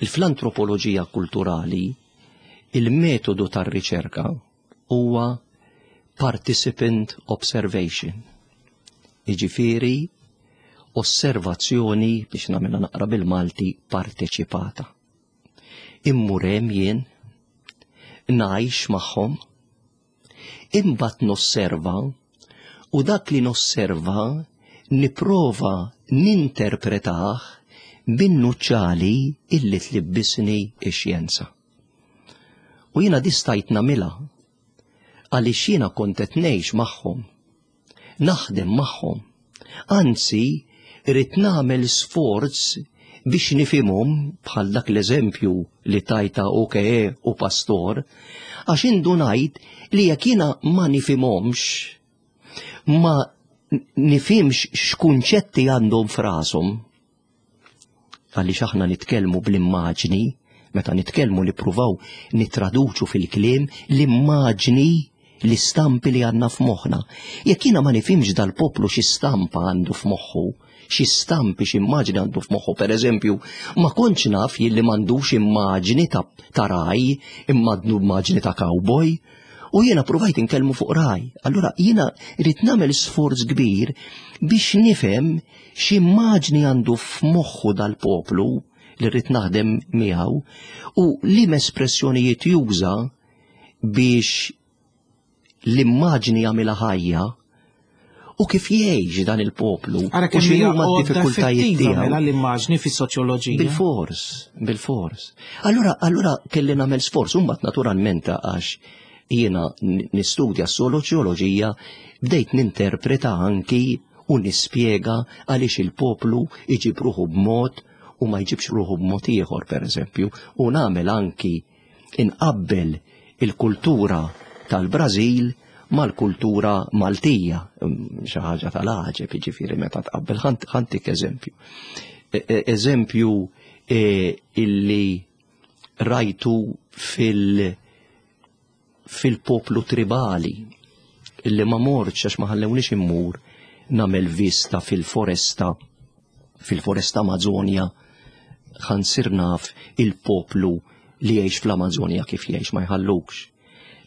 il-fl-antropoloġija kulturali il-metodu tar-riċerka huwa participant observation. Jiġifieri osservazzjoni biex nagħmilha naqra bil-Malti parteċipata. Immur hemm jien, ngħix magħhom, imbagħad nosserva u dak li nosserva nipprova ninterpretah bin-nuċċali illi tlibbisni ix-xjenza. U jiena di stajt nagħmilha għaliex jiena kont qed ngħix magħhom, naħdem magħhom. Anzi, rrid nagħmel sforz biex nifhimhom bħal dak l-eżempju li tajta U K E u pastor, għax indunajt li jekk jiena ma nifhimhomx, ma nifhimx x'kunċetti għandhom f'rashom, għaliex aħna nitkellmu bl-immaġni, meta nitkellmu nippruvaw nitraduċu fil-kliem l-immaġni, l-istampi li għandna f'moħħna. Jekk jiena ma nifhimx dal-poplu xi stampa għandu f'moħħu, xi stampi, xi immaġni għandu f'moħħu, per eżempju, ma kontx naf jilli m'għandux immaġni ta', ta ragħaj, imma għandu immaġni ta' cowboy, u jiena provajt inkellmu fuq ragħaj. Allura jiena rrid nagħmel sforz kbir biex nifhem x'immaġni għandu f'moħħu dal-poplu li rrid naħdem miegħu u li espressjonijiet juża biex l-immaġni jagħmilha ħajja u kif jgħix dan il-poplu Ara u kemm hija x'inhuma għodda d-diffikultajiet effettiva tiegħu. mela l-immaġni fis-soċjoloġija. Bil-fors, bil-fors. Allura, allura kelli nagħmel sforz, u mbagħad naturalment għax jiena n- nistudja s-soċjoloġija bdejt ninterpreta anki u nispjega għaliex il-poplu iġib ruħu b'mod u ma jġibx ruħu b'mod ieħor, per eżempju, u nagħmel anki inqabbel il-kultura tal-Brażil mal-kultura Maltija, Mm, xi ħaġa tal-għaġeb, jiġifieri meta tqabbel. Ħa ntik eżempju. E- e- Eżempju e, illi rajtu fil- fil-poplu tribali illi ma mortx għax ma ħallewniex immur nagħmel vista fil-foresta fil-foresta Amazonja ħa nsir naf il-poplu li jgħix fl-Amazonja kif jgħix. Ma jħallukx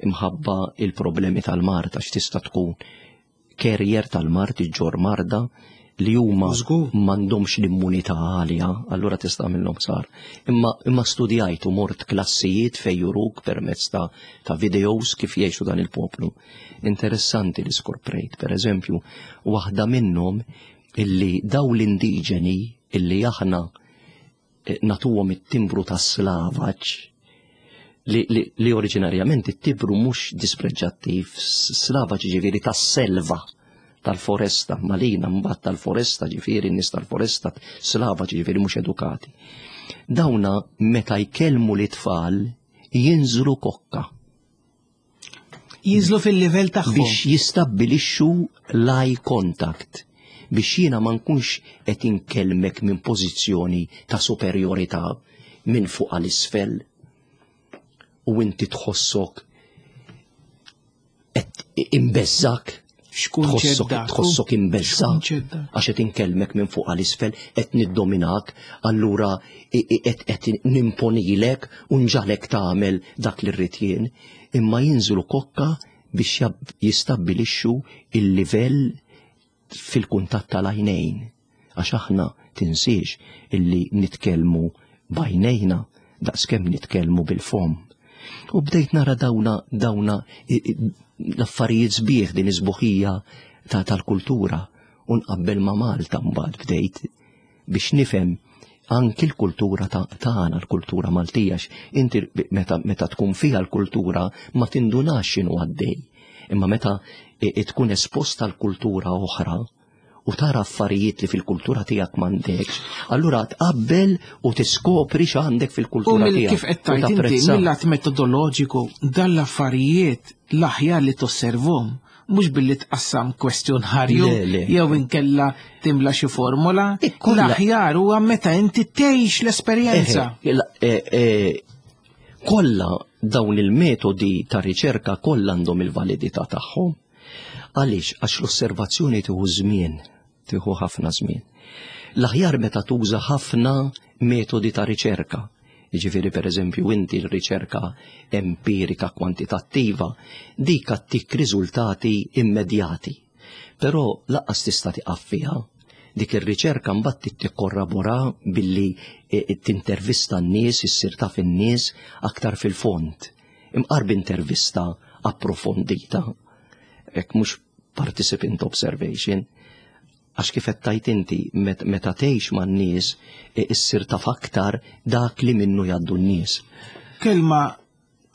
imħabba il-problemi tal-mard, għax tista' tkun carrier tal-mard, iġġorr marda li huma Żgur. m'għandhomx l-immunità għalija, allura tista' minnhom sar. Imma, imma studjajt u mort klassijiet fej juruk permezz ta', ta' videos kif jgħixu dan il-poplu. Interessanti li skoprejt, per eżempju, waħda minnhom illi daw l-indiġeni illi aħna eh, nagħtuhom it-timbru ta' slavaġ li, li, li oriġinarjament it-timbru mhux dispreġġattiv, slavaġ ġifieri tas-selva, tal-foresta, malina mbagħad tal-foresta, ġifieri n-nies tal-foresta, slava ġifieri mhux edukati. Dawna meta jkellmu l-tfal jinżlu kokka. Jinżlu fil-livell tagħhom. Biex jistabbilixxu l-eye contact, biex jiena ma nkunx qed inkellmek minn pożizzjoni ta' superjorità minn fuq għal isfel u inti tħossok qed imbeżżak. X'kunċett tħossok dak? Tħossok imbeżżak X'kunċett dak? għax qed inkellmek minn fuq għal isfel, qed niddominak, allura i- i- qed qed nimponilek u nġagħlek tagħmel dak li rrid jien, imma jinżlu kokka biex jab- jistabbilixxu il-livell fil-kuntatt tal-għajnejn. Għax aħna tinsiex illi nitkellmu b'għajnejna daqskemm nitkellmu bil-fom. U bdejt nara dawna dawna i- i- l-affarijiet sbieħ, din is-sbuħija ta' tal-kultura, u nqabbel ma' Malta mbagħad bdejt biex nifhem anki l-kultura ta' tagħna, l-kultura Maltija, għax inti meta, meta tkun fiha l-kultura ma tindunax x'inhu għaddej. Imma meta i- i tkun esposta l-kultura oħra u tara affarijiet li fil-kultura tiegħek m'għandekx, allura tqabbel u tiskopri x'għandek U fil-kultura mill tiegħek. kif qed U tajt inti tapprezza. mill-lat metodoloġiku dan l-affarijiet l-aħjar li tosservhom mhux billi tqassam kwestjonarju Le, le. jew inkella timla xi formola, Ikolla- l-aħjar huwa meta inti tgħix l-esperjenza. Eħe, la- eh, eh, Kollha dawn il-metodi ta' riċerka kollha għandhom il-validità tagħhom. Għaliex? Għax l-osservazzjoni tieħu żmien, tieħu ħafna żmien. L-aħjar meta tuża ħafna metodi ta' riċerka. Jiġifieri, per eżempju, inti l-riċerka empirika kwantitattiva dik ttik riżultati immedjati. Però lanqas tista' tieqaf fiha. Dik ir-riċerka mbagħad tikkorrabora billi eh, tintervista n-nies, issir taf in-nies aktar fil-fond. Imqar b'intervista approfondita, hekk mhux participant observation, għax kif qed tajt inti meta tgħix man-nies eh, issir taf aktar dak li minnu jgħaddu n-nies. Kelma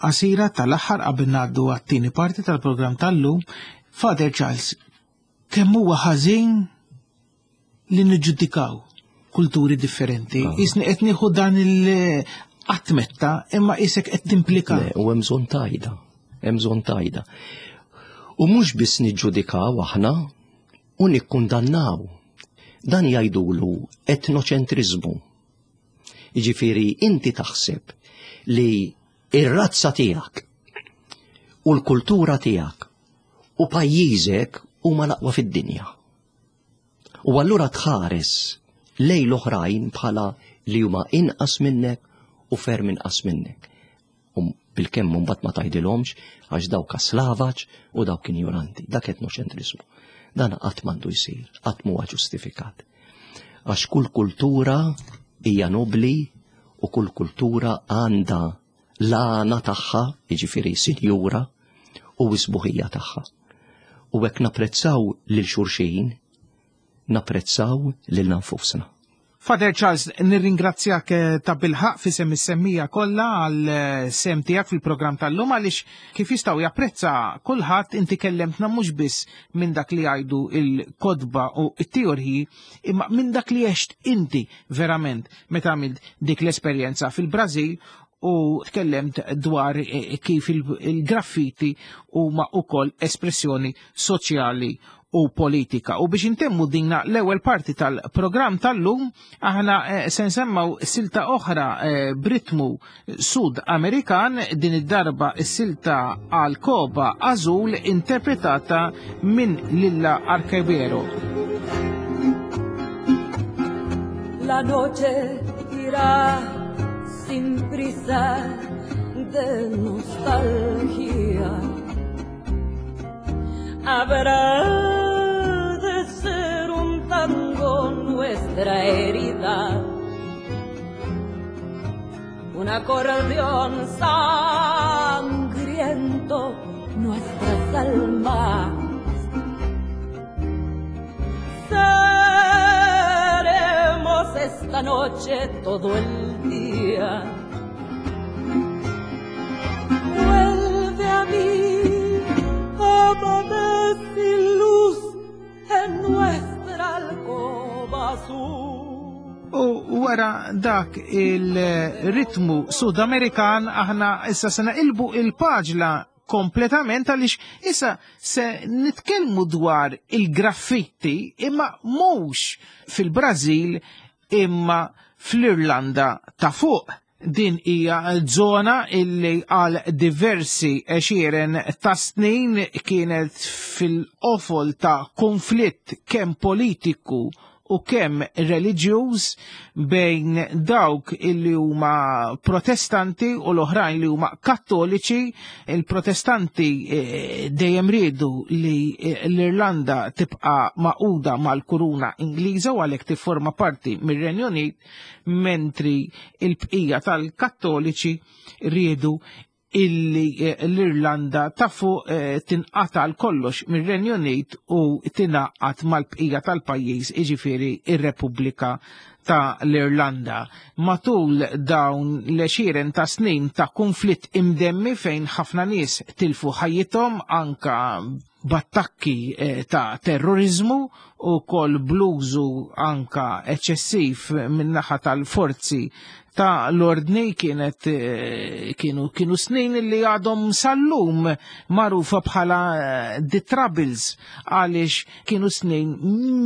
qasira tal-aħħar qabel ngħaddu għat-tieni parti tal-programm tal-lum, Father Charles, kemm huwa ħażin li niġġudikaw kulturi differenti. Ah. Isni qed nieħu dan il-qatt imma isek qed timplika. U hemm bżonn tajda, hemm bżonn tajda. U mhux biss niġġudikaw aħna u nikkundannaw. Dan jgħidulu etnoċentriżmu. Jiġifieri inti taħseb li ir-razza tiegħek u l-kultura tiegħek u pajjiżek huma l-aqwa fid-dinja. U allura tħares lejn l-oħrajn bħala li huma inqas minnek u ferm inqas minnek. U bilkemm mbagħad ma tgħidilhomx għax dawk slavaġ u dawk injoranti. Dak etnoċentriżmu. Dan qatt m'għandu jsir, qatt m'huwa ġustifikat. Għax kull kultura hija nobli u kull kultura għandha l-għana tagħha, jiġifieri sinjura, u s-sbuħija tagħha. U hekk napprezzaw lil xulxin, napprezzaw lil nfusna. Father Charles, nirringrazzjak eh, ta' bilħaq fi sem is-semmija kollha għal eh, sem tiegħek fil-programm tal-lum għaliex kif jistgħu japprezza kulħadd inti kellemtna mhux biss minn dak li jgħidu il-kotba u t-teoriji imma minn dak li għext inti verament meta għamilt dik l-esperjenza fil-Brażil u tkellemt dwar eh, kif il-graffiti huma wkoll espressjoni soċjali u politika. U biex intemmu dinna l-ewwel parti tal-programm tal-lum, aħna eh, se nsemmaw silta oħra eh, b'ritmu Sud Amerikan, din id-darba s-silta Alcoba Azul interpretata minn Lilla Arquebero. La noche irá sin prisa de nostalgia. Habrá de ser un tango nuestra herida, un acordeón sangriento nuestras almas. Seremos esta noche todo el día. Vuelve a mí, ámame sin luz en nuestra alcoba azul. U wara dak il-ritmu Sud-Amerikan aħna issa se naqilbu il-paġla kompletament għaliex issa se nitkellmu dwar il-graffitti imma mhux fil-Brażil imma fl-Irlanda ta' fuq. Din hija żona illi għal diversi għexieren ta' snin kienet fil-qofol ta' konflitt kemm politiku u kemm reliġjuż bejn dawk illi huma protestanti u l-oħrajn li huma kattoliċi. Il-protestanti eh, dejjem riedu li eh, l-Irlanda tibqa' maquda mal-kuruna Ingliża u għalhekk tifforma parti mir-Renju Unit, mentri il-bqija tal-kattoliċi riedu illi eh, l-Irlanda ta' fuq eh, tinqata' għal kollox mir-Renju Unit u tingħaqad mal-bqija tal-pajjiż, jiġifieri ir-Repubblika ta' l-Irlanda. Matul dawn l-għexieren ta' snin ta' konflitt imdemmi fejn ħafna nies tilfu ħajjithom anka b'attakki eh, ta' terrorizmu u kol bluzu anka eċċessiv min-naħa tal-forzi ta' l-ordni, kienet eh, kienu, kienu snin li għadhom sal-lum magħrufa bħala eh, The Troubles, għaliex kienu snin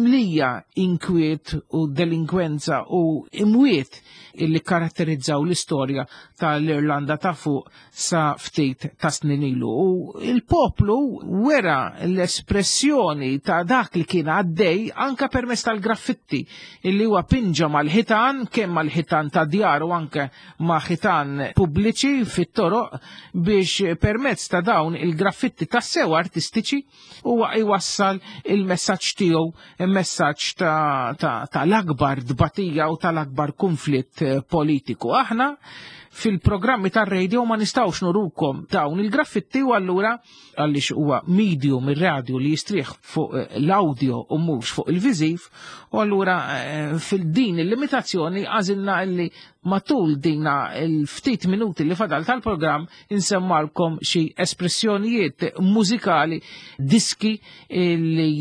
mlija inkwiet u delinkwenza u imwiet. illi karatterizzaw l-istorja tal-Irlanda ta' fuq sa ftit ta' snin ilu. U il-poplu wera l-espressjoni ta' dak li kien għaddej anka permezz tal-graffitti illi huwa pinġa mal-ħitan, kemm mal-ħitan ta' djar u anke ma' ħitan pubbliċi fit-toroq, biex permezz ta' dawn il-graffitti tassew artistiċi huwa jwassal il-messaġġ tiegħu, il-messaġġ ta', ta, tal-akbar dbatija u tal-akbar konflitt politiku. Aħna fil-programmi tar-radio ma nistawx nurukom dawn il-graffitti, u allura għaliex huwa medium ir-radio li jistrieħ fuq l-audio u mhux fuq il-viżiv, u allura fil-din il-limitazzjoni għażilna li matul dina il-ftit minuti li fadal tal-programm insemmalkom xi espressjonijiet mużikali, diski li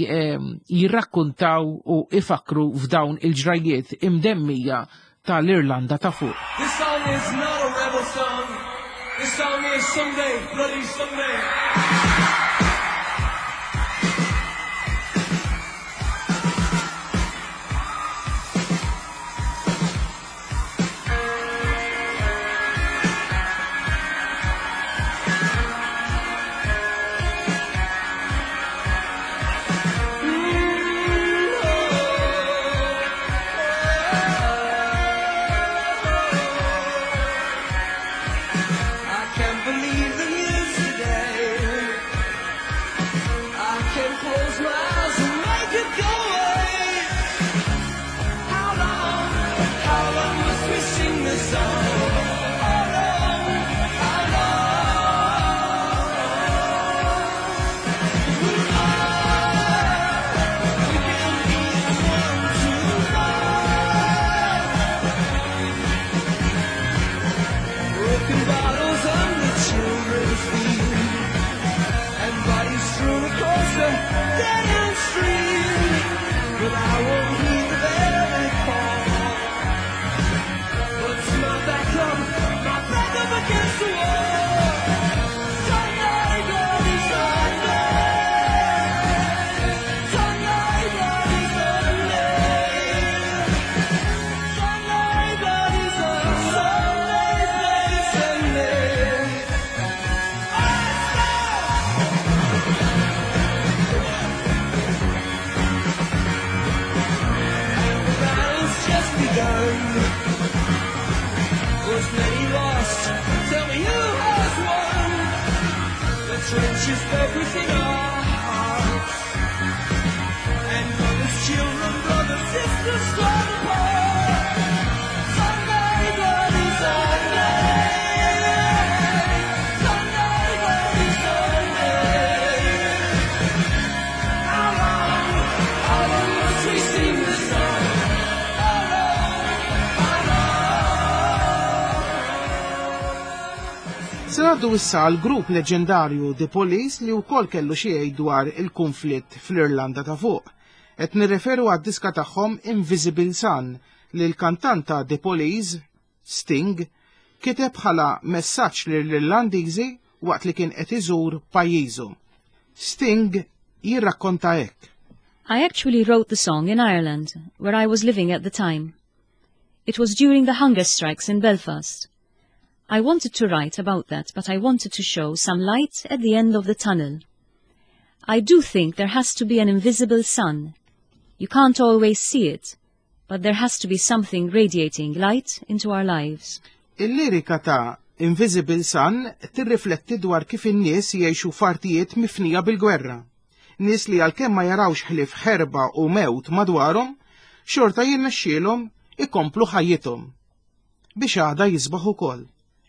jirrakkuntaw u ifakru f'dawn il-ġrajiet imdemmija tal-Irlanda ta' fuq. This song is not a rebel song. This song is Sunday, Bloody Sunday. Trenches dug within our hearts, and mothers, children, brothers, sisters torn apart. Sunday, bloody Sunday. Sunday, bloody Sunday. How long, how long must we sing this song? How long, how long? Se ngħaddu issa għal grupp leġendarju The Police li wkoll kellu xi jgħid dwar il-konflitt fl-Irlanda ta' fuq. Qed nirreferu għad-diska tagħhom Invisible Sun li l-kantant ta' The Police, Sting, kiteb bħala messaġġ lill-Irlandiżi waqt li kien qed iżur pajjiżu. Sting jirrakkonta hekk. I actually wrote the song in Ireland, where I was living at the time. It was during the hunger strikes in Belfast. I wanted to write about that, but I wanted to show some light at the end of the tunnel. I do think there has to be an invisible sun. You can't always see it, but there has to be something radiating light into our lives. Il-lirika ta' Invisible Sun tirrifletti dwar kif in-nies jgħixu f'artijiet mifnija bil-gwerra. Nies li għalkemm ma jarawx ħlief ħerba u mewt madwarhom, xorta jirnexxielhom ikomplu ħajjithom biex għada jisbaħ ukoll.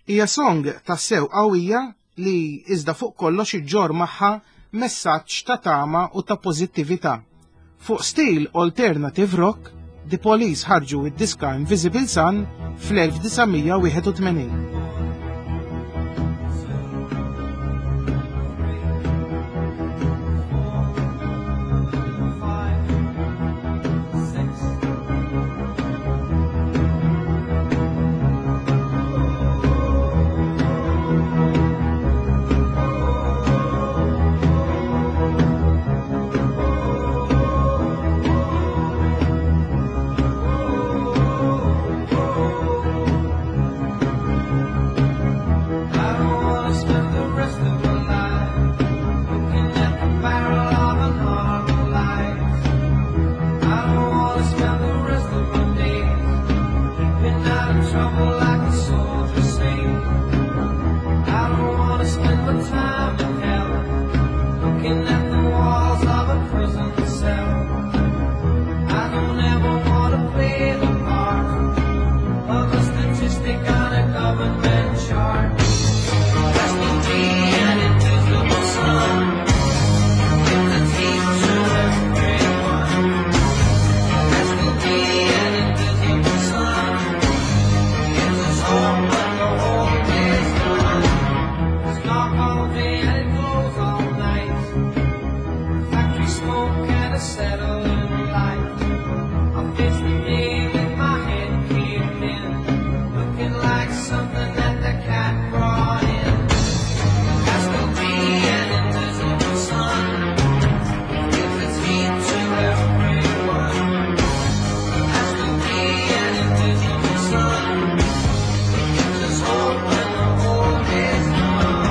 Hija song tassew qawwija li iżda fuq kollox iġġor magħha messaġġ ta' tama u ta' pożittività. Fuq stil alternative rock, The Police ħarġu id-diska Invisible Sun fl-elf disa' mija wieħed u tmenin. Oh, than the walls of a prison cell. I don't ever wanna play the part of a statistic on a government chart. There will be an invisible sun. Gives its heat to everyone. There will be an invisible sun. Gives us hope when the whole day's done. It's dark all day and it glows all night. Factory smoke and a settling light. I face the day with my head caved in, looking like something that the cat brought in. There will be an invisible sun. Gives its heat to everyone. There will be an invisible sun. Gives us hope when the whole day's done.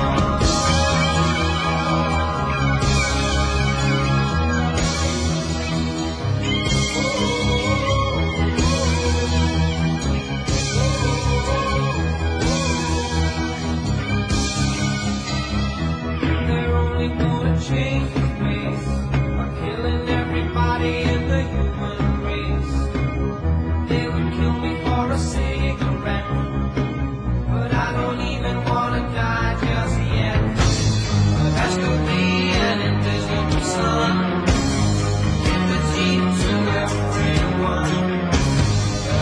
They're only gonna change the place by killing everybody in the human race. They would kill me for a cigarette, but I don't even wanna die just yet. But there still be an invisible sun. Give its heat to everyone.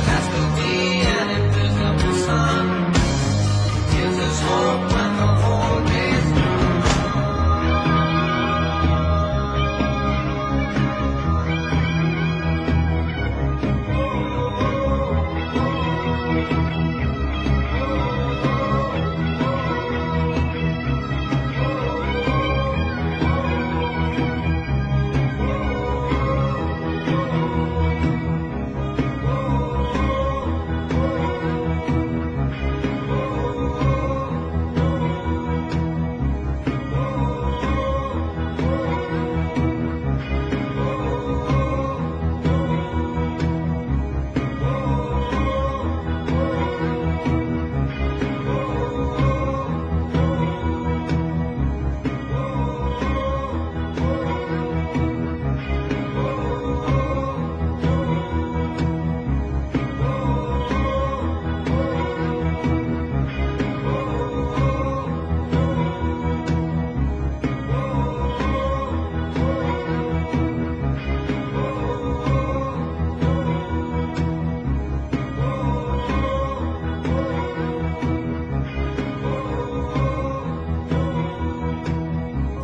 There still be an invisible sun. Gives us hope when the whole day's done.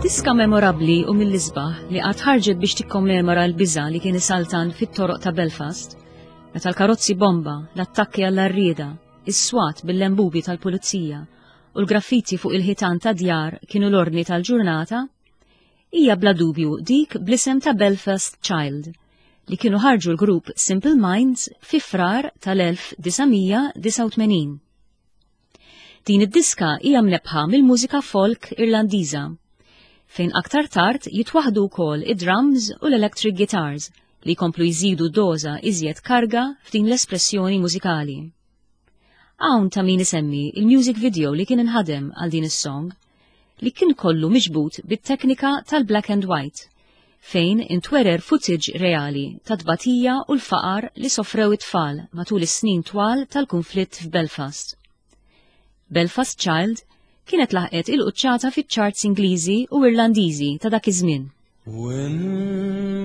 Diska memorabbli u mill-isbaħ li qatt ħarġet biex tikkommemora l-biża' li kien isaltan fit-toroq ta' Belfast, meta l-karozzi bomba, l-attakki għall-għarrieda, is-swat bil-lembubi tal-pulizija u l-graffiti fuq il-ħitan ta' djar kienu l-ordni tal-ġurnata, hija bla dubju dik bl-isem ta' Belfast Child li kienu ħarġu l-grupp Simple Minds fi Frar tal-elf disa' mija disgħa u tmenin. Din id-diska hija mnebbħa mill-mużika folk Irlandiża, fejn aktar tard jitwaħdu wkoll id-drums u l-electric guitars li jkomplu jżidu doża iżjed karga f'din l-espressjoni mużikali. Hawn ta' min isemmi il-music video li kien inħadem għal din is-song, li kien kollu miġbut bit-teknika tal-black and white, fejn intwerer footage reali ta' tbatija u l-faqar li sofrew it-tfal matul is-snin twal tal-konflitt f'Belfast. Belfast Child kienet laħqet il-quċċata fiċ-charts Ingliżi u Irlandiżi ta' dak iż-żmien. When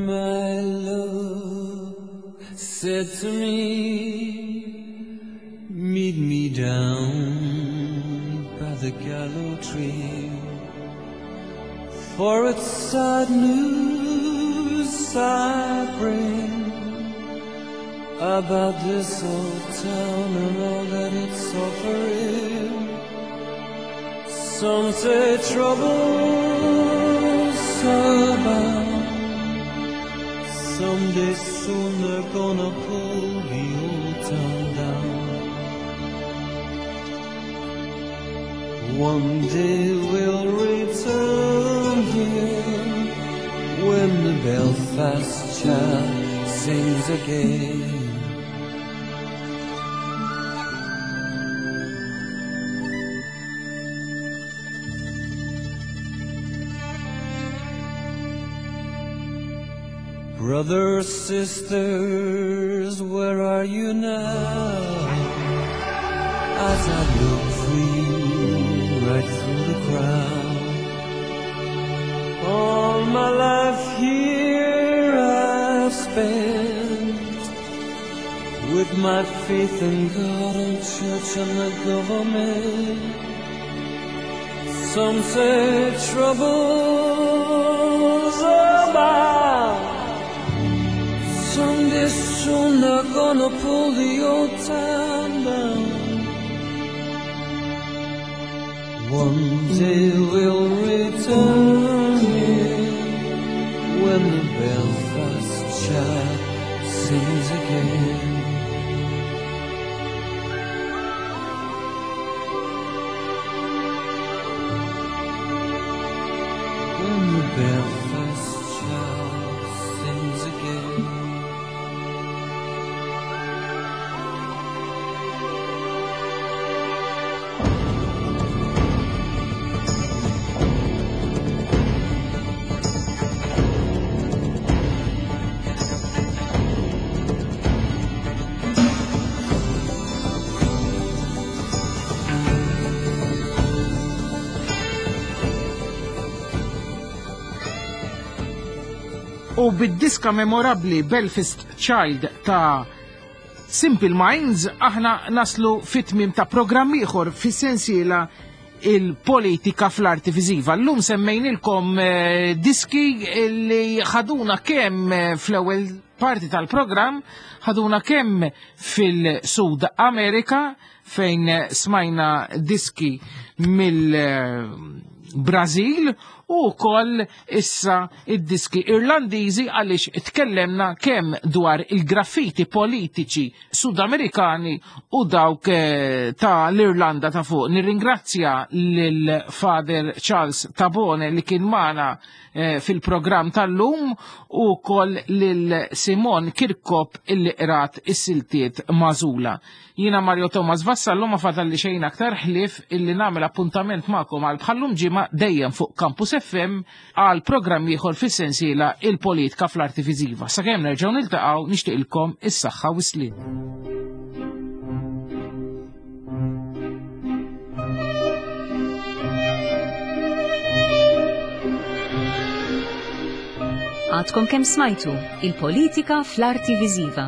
my love said to me, "Meet me down by the gallows tree, for it's sad news I bring about this old town and all that it's offering. Some say trouble's abound. Someday soon they're gonna pull the old town down. One day we'll return here when the Belfast Child sings again." Brothers, sisters, where are you now? As I look for you right through the crowd. All my life here I've spent with my faith in God and church and the government. Some say troubles abound. Someday soon they're gonna pull the old town down. One day we'll return here when the Belfast child sings again. When the Belfast child sings again. U bid-diska memorabli Belfast Child ta' Simple Minds aħna naslu fit-tmiem ta' programm ieħor fis-sensiela il-politika fl-arti viżiva. Llum semmejnilkom eh, diski li ħaduna kemm eh, fl-ewwel parti tal-programm, ħaduna kemm fil-Sud Amerika fejn smajna diski mill-Brażil u wkoll issa id-diski Irlandiżi għaliex tkellemna kemm dwar il-graffiti politiċi Sudamerikani u dawk eh, ta' l-Irlanda ta' fuq. Nirringrazzja lil Father Charles Tabone li kien magħna eh, fil-programm tal-lum u wkoll lil Simon Kirkop illi qrat is-siltiet mażula. Jiena Mario Thomas Vassallo ma fadalli xejn aktar ħlief illi nagħmel appuntament magħkom għal bħallum ġimgħa dejjem fuq Campus F M għal programm ieħor fis-sensiela il-politika fl-arti viżiva. Sakemm nerġgħu niltaqgħu nixtieqilkom is-saħħa u s-sliem. Għadkom kemm smajtu il-politika fl-arti viżiva.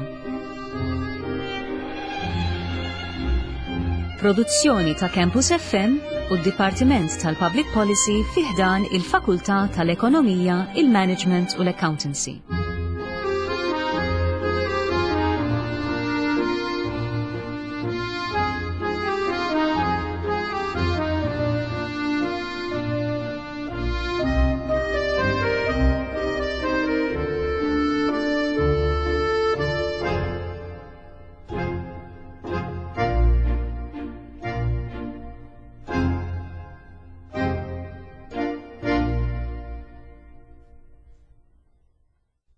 Produzzjoni ta' Campus F M u d-Dipartiment tal-Public Policy fi ħdan il-Fakultà tal-Ekonomija, il-Management u l-Accountancy.